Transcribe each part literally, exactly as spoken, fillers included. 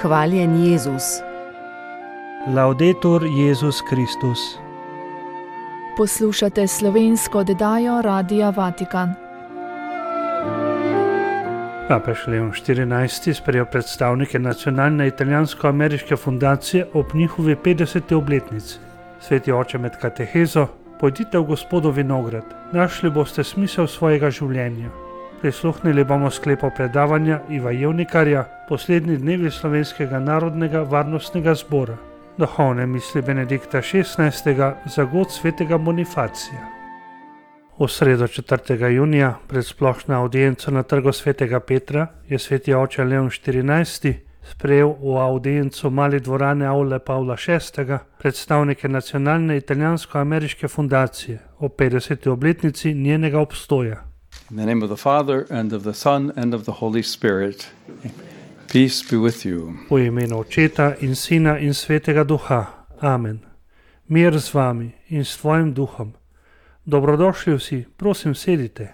Hvaljen Jezus. Laudetur Jezus Kristus. Poslušate slovensko oddajo Radia Vatikan. Papež Leon štirinajsti sprejel predstavnike nacionalne italijansko-ameriške fundacije ob njihovi petdeseti obletnici. Sveti oče med katehezo: pojdite v Gospodov vinograd, našli boste smisel svojega življenja. Prisluhnili bomo sklepu predavanja Iva Jevnikarja, poslednji dnevi Slovenskega narodnega varnostnega zbora. Duhovne misli Benedikta šestnajstega za god svetega Bonifacija. V sredo četrtega junija pred splošno avdienco na trgu svetega Petra je sveti oče Leon štirinajsti sprejel v avdiencu mali dvorane Avle Pavla šestega predstavnike nacionalne italijansko-ameriške fundacije o petdeseti obletnici njenega obstoja. In the name of the Father, and of the Son, and of the Holy Spirit. Peace be with you. V imenu Očeta in Sina in Svetega Duha. Amen. Mir z vami in s tvojim duhom. Dobrodošli vsi, prosim sedite.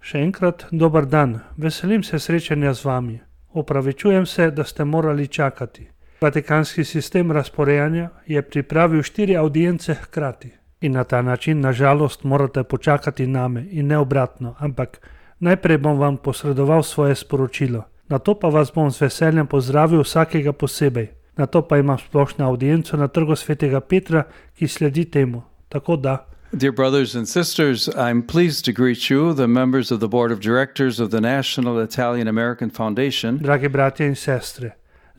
Še enkrat dober dan, veselim se srečanja z vami. Opravičujem se, da ste morali čakati. Vatikanski sistem razporejanja je pripravil štiri avdience hkrati. In na ta način, na žalost, morate počakati name in ne obratno, ampak najprej bom vam posredoval svoje sporočilo. Nato pa vas bom z veseljem pozdravil vsakega posebej. Nato pa imam splošno avdienco na trgu svetega Petra, ki sledi temu. Tako da. Dear brothers and sisters, I'm pleased to greet you, the members of the Board of Directors of the National Italian-American Foundation. Dragi bratje in sestre,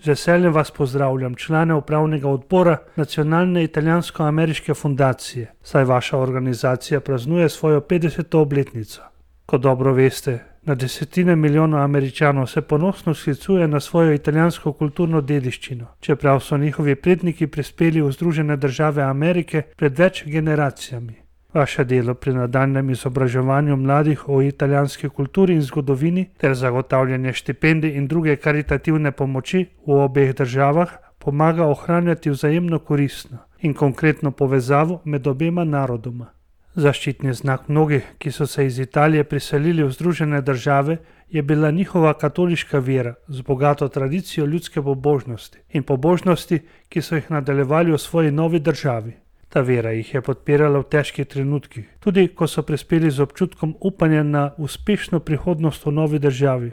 z veseljem vas pozdravljam, člane upravnega odbora Nacionalne italijansko-ameriške fundacije, saj vaša organizacija praznuje svojo petdeseto obletnico. Kot dobro veste, na desetine milijonov Američanov se ponosno sklicuje na svojo italijansko kulturno dediščino, čeprav so njihovi predniki prispeli v Združene države Amerike pred več generacijami. Vaše delo pri nadaljnjem izobraževanju mladih o italijanski kulturi in zgodovini ter zagotavljanje štipendij in druge karitativne pomoči v obeh državah pomaga ohranjati vzajemno koristno in konkretno povezavo med obema narodoma. Zaščitni znak mnogih, ki so se iz Italije priselili v Združene države, je bila njihova katoliška vera z bogato tradicijo ljudske pobožnosti in pobožnosti, ki so jih nadaljevali v svoji novi državi. Ta vera jih je podpirala v težkih trenutkih, tudi ko so prispeli z občutkom upanja na uspešno prihodnost v novi državi.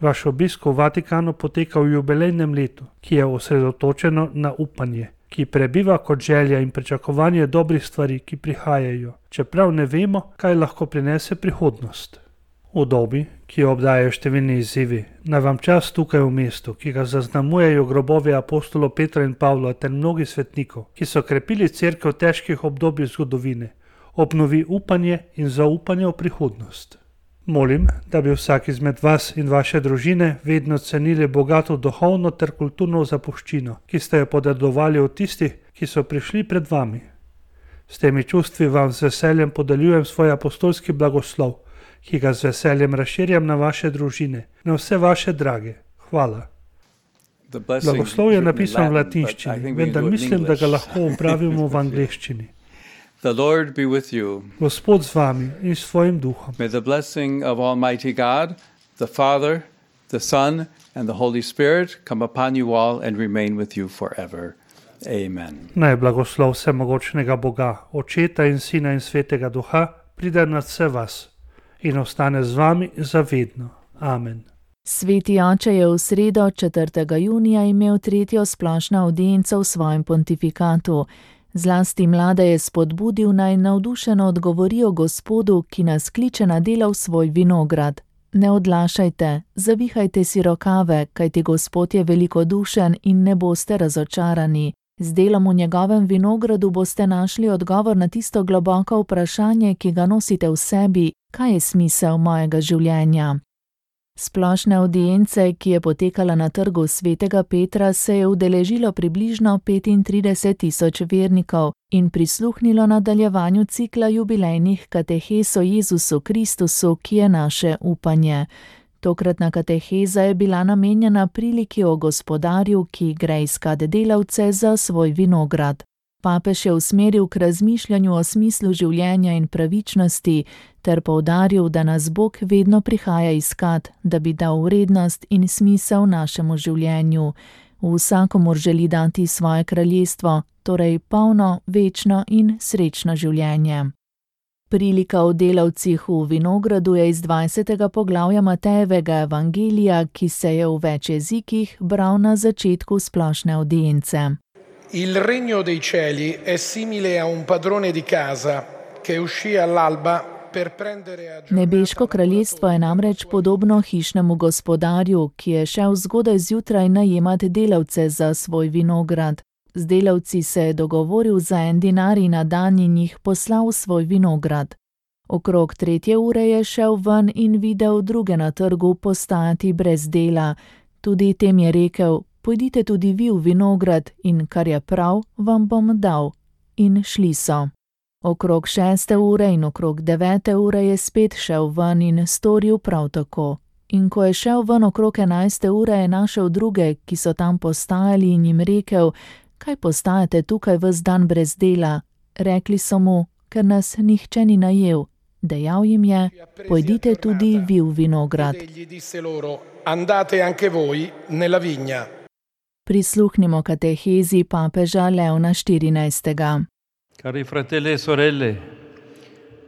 Vaš obisk v Vatikanu poteka v jubilejnem letu, ki je osredotočeno na upanje, ki prebiva kot želja in pričakovanje dobrih stvari, ki prihajajo, čeprav ne vemo, kaj lahko prinese prihodnost. V dobi, ki jo obdajajo številni izzivi, naj vam čas tukaj v mestu, ki ga zaznamujejo grobovi apostolov Petra in Pavla ter mnogih svetnikov, ki so krepili cerkev v težkih obdobjih zgodovine, obnovi upanje in zaupanje v prihodnost. Molim, da bi vsak izmed vas in vaše družine vedno cenili bogato duhovno ter kulturno zapuščino, ki ste jo podedovali od tistih, ki so prišli pred vami. S temi čustvi vam z veseljem podeljujem svoj apostolski blagoslov, ki ga z veseljem razširjam na vaše družine, na vse vaše drage. Hvala. Blagoslov je napisan v latinščini, vendar mislim, da ga lahko upravimo v angleščini. The Lord be with you. Gospod z vami in s svojim duhom. May the blessing of Almighty God, the Father, the Son, and the Holy Spirit come upon you all and remain with you forever. Amen. Naj blagoslov vsemogočnega Boga, Očeta in Sina in Svetega Duha, pride nad vse vas in ostane z vami zavedno. Amen. Sveti oče je v sredo četrtega junija imel tretjo splošno avdienco v svojem pontifikatu. Zlasti mlade je spodbudil, naj navdušeno odgovorijo Gospodu, ki nas kliče na delo v svoj vinograd. Ne odlašajte, zavihajte si rokave, kajti Gospod je velikodušen in ne boste razočarani. Z delom v njegovem vinogradu boste našli odgovor na tisto globoko vprašanje, ki ga nosite v sebi: kaj je smisel mojega življenja? Splošne avdience, ki je potekala na trgu svetega Petra, se je udeležilo približno petintrideset tisoč vernikov in prisluhnilo nadaljevanju cikla jubilejnih katehez o Jezusu Kristusu, ki je naše upanje. Tokratna kateheza je bila namenjena priliki o Gospodarju, ki gre iskat delavce za svoj vinograd. Papež je usmeril k razmišljanju o smislu življenja in pravičnosti ter poudaril, da nas Bog vedno prihaja iskat, da bi dal vrednost in smisel našemu življenju. Vsakomur želi dati svoje kraljestvo, torej polno, večno in srečno življenje. Prilika o delavcih v vinogradu je iz dvajsetega poglavja Matejevega evangelija, ki se je v več jezikih bral na začetku splošne avdience. Il regno dei cieli è simile a un padrone di casa che uscì all'alba per prendere a giornata. Nebeško kraljestvo je namreč podobno hišnemu gospodarju, ki je šel zgodaj zjutraj najemat delavce za svoj vinograd. Z delavci se je dogovoril za en dinar in na dan in jih poslal v svoj vinograd. Okrog tretje ure je šel ven in videl druge na trgu postajati brez dela. Tudi tem je rekel: pojdite tudi vi v vinograd in kar je prav, vam bom dal. In šli so. Okrog šeste ure in okrog devete ure je spet šel ven in storil prav tako. In ko je šel ven okrog enajste ure, je našel druge, ki so tam postajali, in jim rekel: kaj postajate tukaj ves dan brez dela? Rekli so mu: ker nas nihče ni najel. Dejal jim je: pojdite tudi vi v vinograd. Andate anche voi nella vigna. Prisluhnimo katehezi papeža Leona štirinajstega. Cari fratelli e sorelle,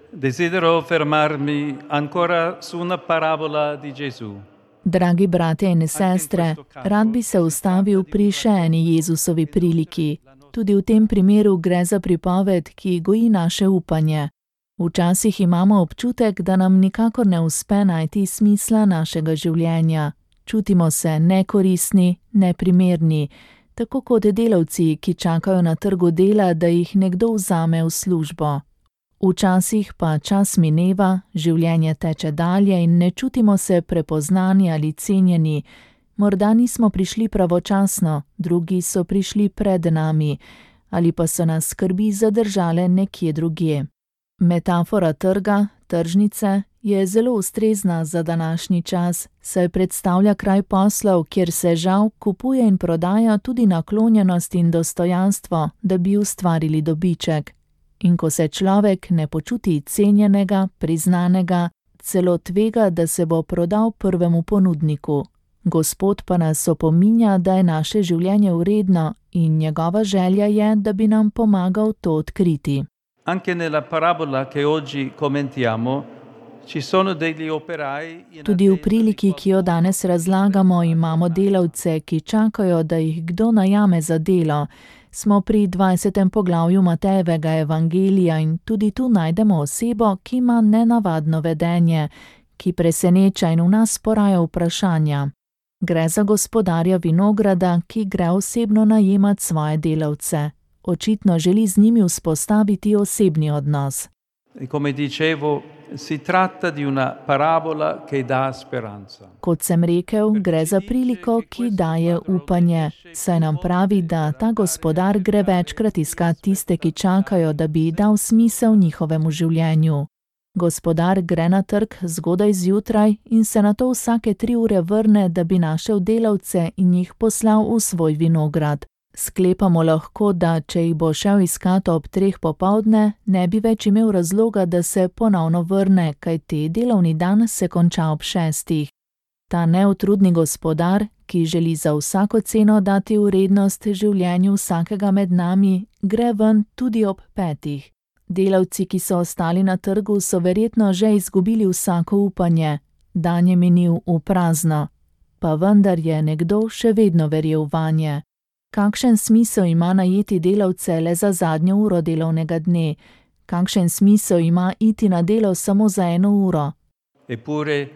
desidero fermarmi ancora su una parabola di Gesù. Dragi bratje in sestre, rad bi se ustavil pri še eni Jezusovi priliki. Tudi v tem primeru gre za pripoved, ki goji naše upanje. Včasih imamo občutek, da nam nikakor ne uspe najti smisla našega življenja. Čutimo se nekoristni, neprimerni, tako kot delavci, ki čakajo na trgu dela, da jih nekdo vzame v službo. Včasih pa čas mineva, življenje teče dalje in ne čutimo se prepoznani ali cenjeni. Morda nismo prišli pravočasno, drugi so prišli pred nami, ali pa so nas skrbi zadržale nekje drugje. Metafora trga, tržnice, je zelo ustrezna za današnji čas, saj predstavlja kraj poslov, kjer se žal kupuje in prodaja tudi naklonjenost in dostojanstvo, da bi ustvarili dobiček. In ko se človek ne počuti cenjenega, priznanega, celo tvega, da se bo prodal prvemu ponudniku. Gospod pa nas opominja, da je naše življenje vredno in njegova želja je, da bi nam pomagal to odkriti. Anche nella parabola che oggi commentiamo ci sono degli operai. Tudi v priliki, ki jo danes razlagamo, imamo delavce, ki čakajo, da jih kdo najame za delo. Smo pri dvajsetem poglavju Matejevega evangelija in tudi tu najdemo osebo, ki ima nenavadno vedenje, ki preseneča in v nas poraja vprašanja. Gre za gospodarja vinograda, ki gre osebno najemat svoje delavce. Očitno želi z njimi vzpostaviti osebni odnos. Come dicevo, si tratta di una parabola che dà speranza. Kot sem rekel, gre za priliko, ki daje upanje, saj nam pravi, da ta gospodar gre večkrat iskat tiste, ki čakajo, da bi dal smisel njihovemu življenju. Gospodar gre na trg zgodaj zjutraj in se nato vsake tri ure vrne, da bi našel delavce in jih poslal v svoj vinograd. Sklepamo lahko, da če jih bo šel iskat ob treh popoldne, ne bi več imel razloga, da se ponovno vrne, kajti delovni dan se konča ob šestih. Ta neutrudni gospodar, ki želi za vsako ceno dati vrednost življenju vsakega med nami, gre ven tudi ob petih. Delavci, ki so ostali na trgu, so verjetno že izgubili vsako upanje. Dan je minil v prazno. Pa vendar je nekdo še vedno verjel vanje. Kakšen smisel ima najeti delavce le za zadnjo uro delovnega dne? Kakšen smisel ima iti na delo samo za eno uro? Eppure,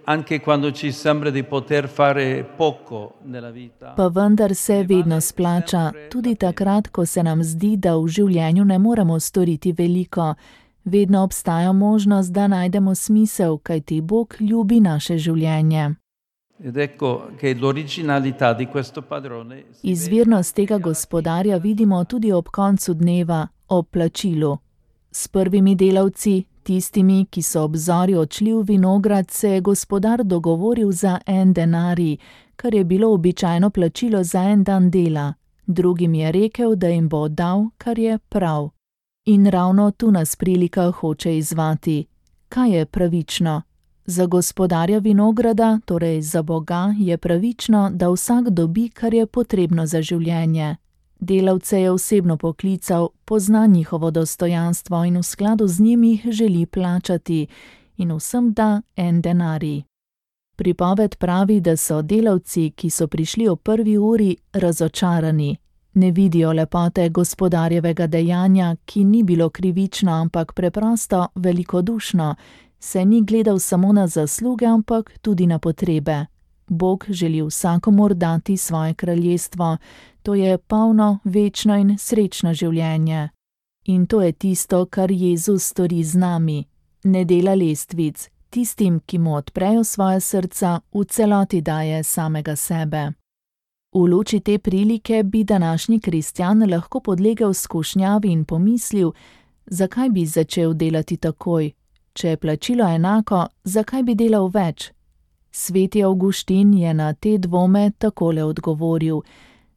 anche quando ci sembra di poter fare poco nella vita. Pa vendar se vedno splača, tudi takrat, ko se nam zdi, da v življenju ne moremo storiti veliko. Vedno obstaja možnost, da najdemo smisel, kajti Bog ljubi naše življenje. Ed ecco che l'originalità di questo padrone. Izvirnost tega gospodarja vidimo tudi ob koncu dneva, ob plačilu. S prvimi delavci, tistimi, ki so ob zori odšli v vinograd, se je gospodar dogovoril za en denarij, kar je bilo običajno plačilo za en dan dela. Drugim je rekel, da jim bo dal, kar je prav. In ravno tu nas prilika hoče izzvati. Kaj je pravično? Za gospodarja vinograda, torej za Boga, je pravično, da vsak dobi, kar je potrebno za življenje. Delavce je osebno poklical, pozna njihovo dostojanstvo in v skladu z njimi jih želi plačati in vsem da en denarij. Pripoved pravi, da so delavci, ki so prišli o prvi uri, razočarani. Ne vidijo lepote gospodarjevega dejanja, ki ni bilo krivično, ampak preprosto velikodušno, se ni gledal samo na zasluge, ampak tudi na potrebe. Bog želi vsakomur dati svoje kraljestvo, to je polno, večno in srečno življenje. In to je tisto, kar Jezus stori z nami. Ne dela lestvic, tistim, ki mu odprejo svoje srca, v celoti daje samega sebe. V luči te prilike bi današnji kristjan lahko podlegel skušnjavi in pomislil, zakaj bi začel delati takoj. Če je plačilo enako, zakaj bi delal več? Sveti Avguštin je na te dvome takole odgovoril: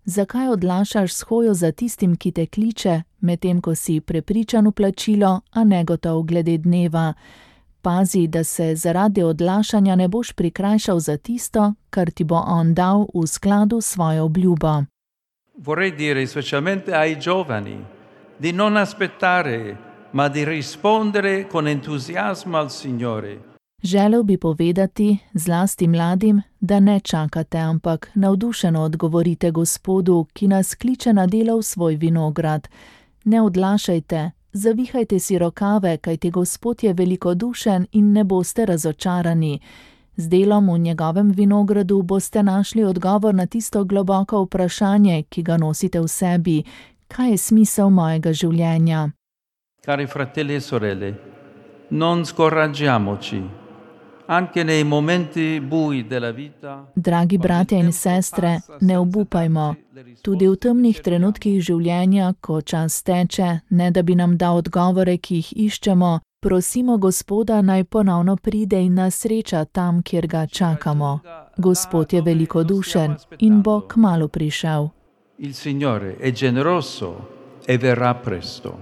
zakaj odlašaš s hojo za tistim, ki te kliče, medtem ko si prepričan v plačilo, a negotov glede dneva? Pazi, da se zaradi odlašanja ne boš prikrajšal za tisto, kar ti bo on dal v skladu s svojo obljubo. Vorrei dire specialmente ai giovani di non aspettare, ma di rispondere con entusiasmo al Signore. Želel bi povedati, zlasti mladim, da ne čakate, ampak navdušeno odgovorite Gospodu, ki nas kliče na delo v svoj vinograd. Ne odlašajte, zavihajte si rokave, kajti Gospod je velikodušen in ne boste razočarani. Z delom v njegovem vinogradu boste našli odgovor na tisto globoko vprašanje, ki ga nosite v sebi: kaj je smisel mojega življenja? Cari fratelli e sorelle, non scoraggiamoci. Anche nei momenti bui della vita. Dragi bratje in sestre, ne obupajmo. Tudi v temnih trenutkih življenja, ko čas teče, ne da bi nam dal odgovore, ki jih iščemo, prosimo Gospoda, naj ponovno pride in nas sreča tam, kjer ga čakamo. Gospod je velikodušen in bo kmalu prišel. Il Signore è generoso e verrà presto.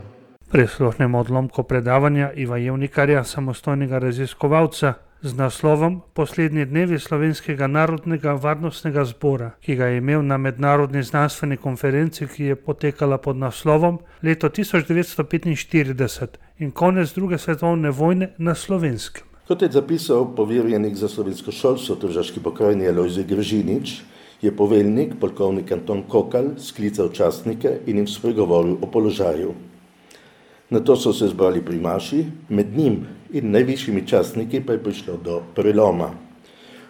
Prisluhnemo odlomku predavanja Iva Jevnikarja, samostojnega raziskovalca, z naslovom Poslednji dnevi Slovenskega narodnega varnostnega zbora, ki ga je imel na mednarodni znanstveni konferenci, ki je potekala pod naslovom Leto tisoč devetsto petinštirideset in konec druge svetovne vojne na Slovenskem. Kot je zapisal poverjenik za slovensko šolstvo v Tržaški pokrajini Alojzij Gržinič, je poveljnik, polkovnik Anton Kokalj, sklical častnike in jim spregovoril o položaju. Nato so se zbrali primaši, med njim in najvišjimi častniki pa je prišlo do preloma.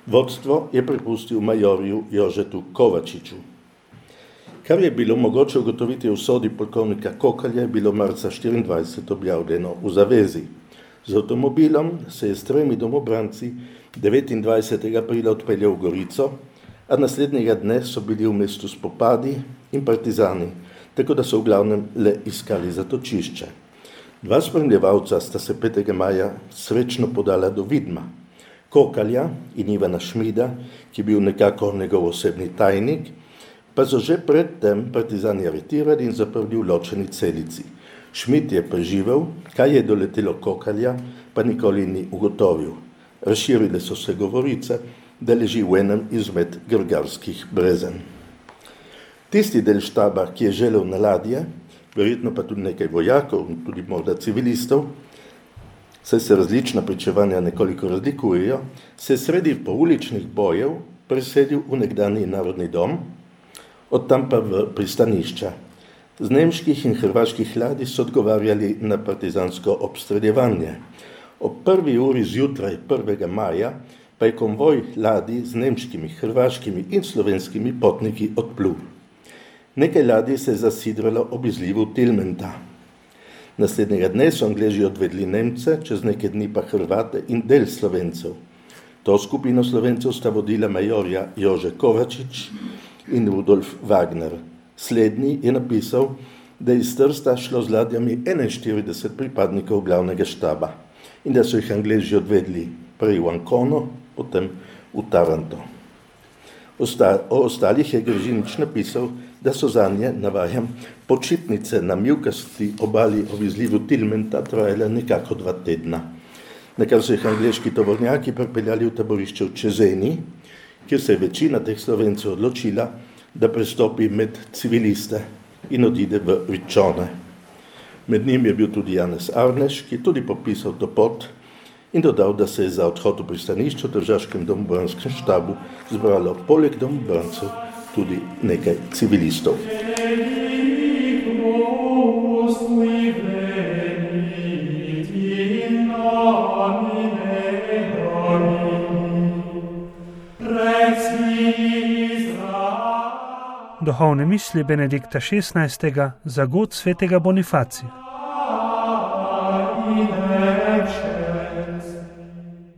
Vodstvo je prepustil majorju Jožetu Kovačiču. Kar je bilo mogoče ugotoviti v sodi polkovnika Kokalja, je bilo marca štiriindvajset objavljeno v zavezi. Z avtomobilom se je s tremi domobranci devetindvajsetega aprila odpeljal v Gorico, a naslednjega dne so bili v mestu spopadi in partizani, tako da so v glavnem le iskali zatočišče. Dva spremljevalca sta se petega maja srečno podala do Vidma, Kokalja in Ivana Šmida, ki je bil nekako njegov osebni tajnik, pa so že predtem partizani aretirali in zaprli v ločeni celici. Šmid je preživel, kaj je doletelo Kokalja, pa nikoli ni ugotovil. Razširile so se govorice, da leži v enem izmed grgarskih brezen. Tisti del štaba, ki je želel na ladje, verjetno pa tudi nekaj vojakov, tudi morda civilistov, saj se različna pričevanja nekoliko razlikujejo, se je sredi pouličnih bojev preselil v nekdanji narodni dom, od tam pa v pristanišča. Z nemških in hrvaških ladij so odgovarjali na partizansko obstreljevanje. Ob prvi uri zjutraj prvega maja pa je konvoj ladij z nemškimi, hrvaškimi in slovenskimi potniki odplul. Nekaj ladij se je zasidralo ob izlivu Tilmenta. Naslednjega dne so Angleži odvedli Nemce, čez nekaj dni pa Hrvate in del Slovencev. To skupino Slovencev sta vodila majorja Jože Kovačič in Rudolf Wagner. Slednji je napisal, da je iz Trsta šlo z ladjami enainštirideset pripadnikov glavnega štaba in da so jih Angleži odvedli prej v Ancono, potem v Taranto. O ostalih je Gržinič napisal, da so zanje, navajam, počitnice na mivkasti obali ob izlivu Tilmenta trajale nekako dva tedna. nakar so jih angleški tovornjaki pripeljali v taborišče v Čezeni, kjer se je večina teh Slovencev odločila, da prestopi med civiliste in odide v Riccione. Med njim je bil tudi Janez Arneš, ki je tudi popisal to pot in dodal, da se je za odhod v pristanišče v tržaškem domobranskem štabu zbralo poleg domobrancev tudi nekaj civilistov. Duhovne misli Benedikta šestnajstega za god svetega Bonifacija.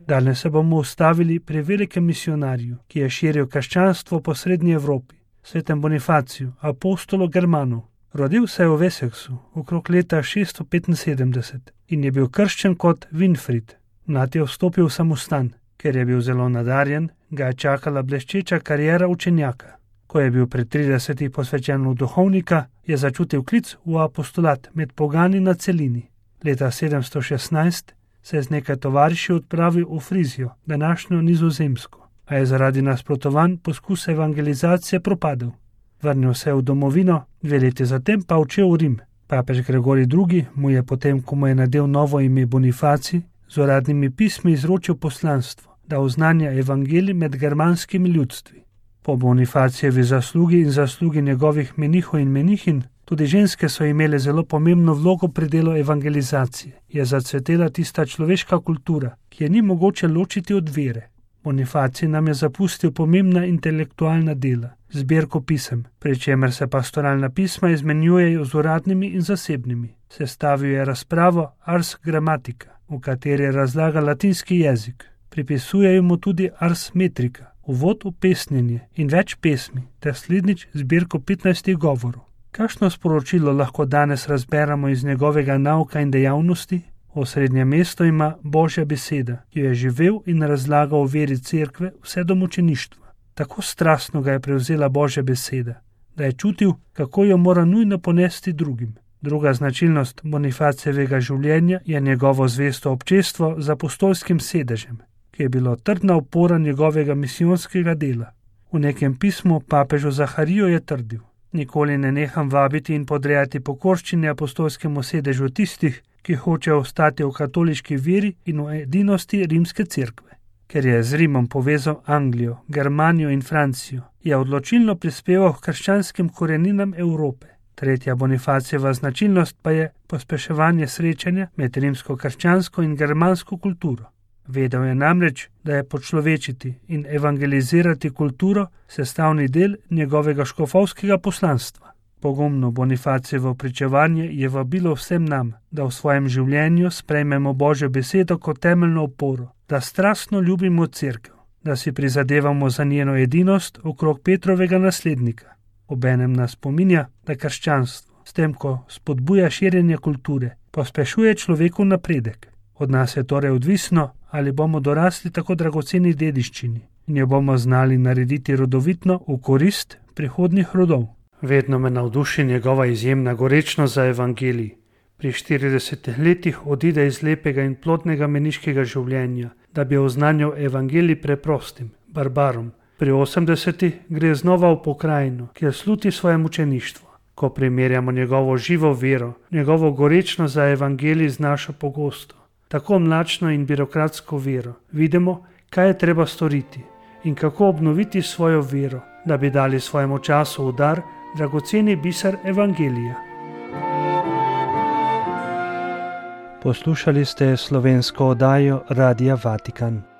Danes se bomo ustavili pri velikem misionarju, ki je širil krščanstvo po srednji Evropi, svetem Bonifaciju, apostolu Germanu. Rodil se je v Wessexu okrog leta šeststo petinsedemdeset in je bil krščen kot Winfried. Mlad je vstopil v samostan, ker je bil zelo nadarjen, ga je čakala bleščeča kariera učenjaka. Ko je bil pri tridesetih posvečen v duhovnika, je začutil klic v apostolat med pogani na celini. Leta sedemsto šestnajst se je z nekaj tovariši odpravil v Frizijo, današnjo Nizozemsko, a je zaradi nasprotovanj poskus evangelizacije propadel. Vrnil se je v domovino, dve leti zatem pa odšel v Rim. Papež Gregorij drugi mu je potem, ko mu je nadel novo ime Bonifacij, z uradnimi pismi izročil poslanstvo, da oznanja evangelij med germanskimi ljudstvi. Po Bonifacijevi zaslugi in zaslugi njegovih menihov in menihin, tudi ženske so imele zelo pomembno vlogo pri delu evangelizacije. Je zacvetela tista človeška kultura, ki je ni mogoče ločiti od vere. Bonifacij nam je zapustil pomembna intelektualna dela, zbirko pisem, pri čemer se pastoralna pisma izmenjujejo z uradnimi in zasebnimi. Sestavil je razpravo Ars Grammatica, v kateri razlaga latinski jezik. Pripisujejo mu tudi Ars Metrica, uvod v pesnjenje in več pesmi, ter slednjič zbirko petnajstih govorov. Kakšno sporočilo lahko danes razberemo iz njegovega nauka in dejavnosti? Osrednje mesto ima Božja beseda, ki jo je živel in razlagal o veri cerkve vse do mučeništva. Tako strastno ga je prevzela Božja beseda, da je čutil, kako jo mora nujno ponesti drugim. Druga značilnost Bonifacijevega življenja je njegovo zvesto občestvo z apostolskim sedežem, ki je bilo trdna opora njegovega misijonskega dela. V nekem pismu papežu Zahariju je trdil: nikoli ne neham vabiti in podrejati pokorščine apostolskemu sedežu tistih, ki hočejo ostati v katoliški veri in v edinosti rimske cerkve. Ker je z Rimom povezal Anglijo, Germanijo in Francijo, je odločilno prispeval k krščanskim koreninam Evrope. Tretja Bonifacijeva značilnost pa je pospeševanje srečanja med rimsko krščansko in germansko kulturo. Vedel je namreč, da je počlovečiti in evangelizirati kulturo sestavni del njegovega škofovskega poslanstva. Pogumno Bonifacijevo pričevanje je vabilo vsem nam, da v svojem življenju sprejmemo Božjo besedo kot temeljno oporo, da strastno ljubimo cerkev, da si prizadevamo za njeno edinost okrog Petrovega naslednika. Obenem nas spominja, da krščanstvo, s tem ko spodbuja širjenje kulture, pospešuje človekov napredek. Od nas je torej odvisno, ali bomo dorasli tako dragoceni dediščini in jo bomo znali narediti rodovitno v korist prihodnjih rodov. Vedno me navduši njegova izjemna gorečnost za evangelij. Pri štiridesetih letih odide iz lepega in plodnega meniškega življenja, da bi oznanjal evangelij preprostim, barbarom. Pri osemdesetih gre znova v pokrajino, kjer sluti svoje mučeništvo. Ko primerjamo njegovo živo vero, njegovo gorečnost za evangelij z našo pogosto, tako mlačno in birokratsko vero, vidimo, kaj je treba storiti in kako obnoviti svojo vero, da bi dali svojemu času v dar dragoceni biser evangelija. Poslušali ste slovensko oddajo Radia Vatikan.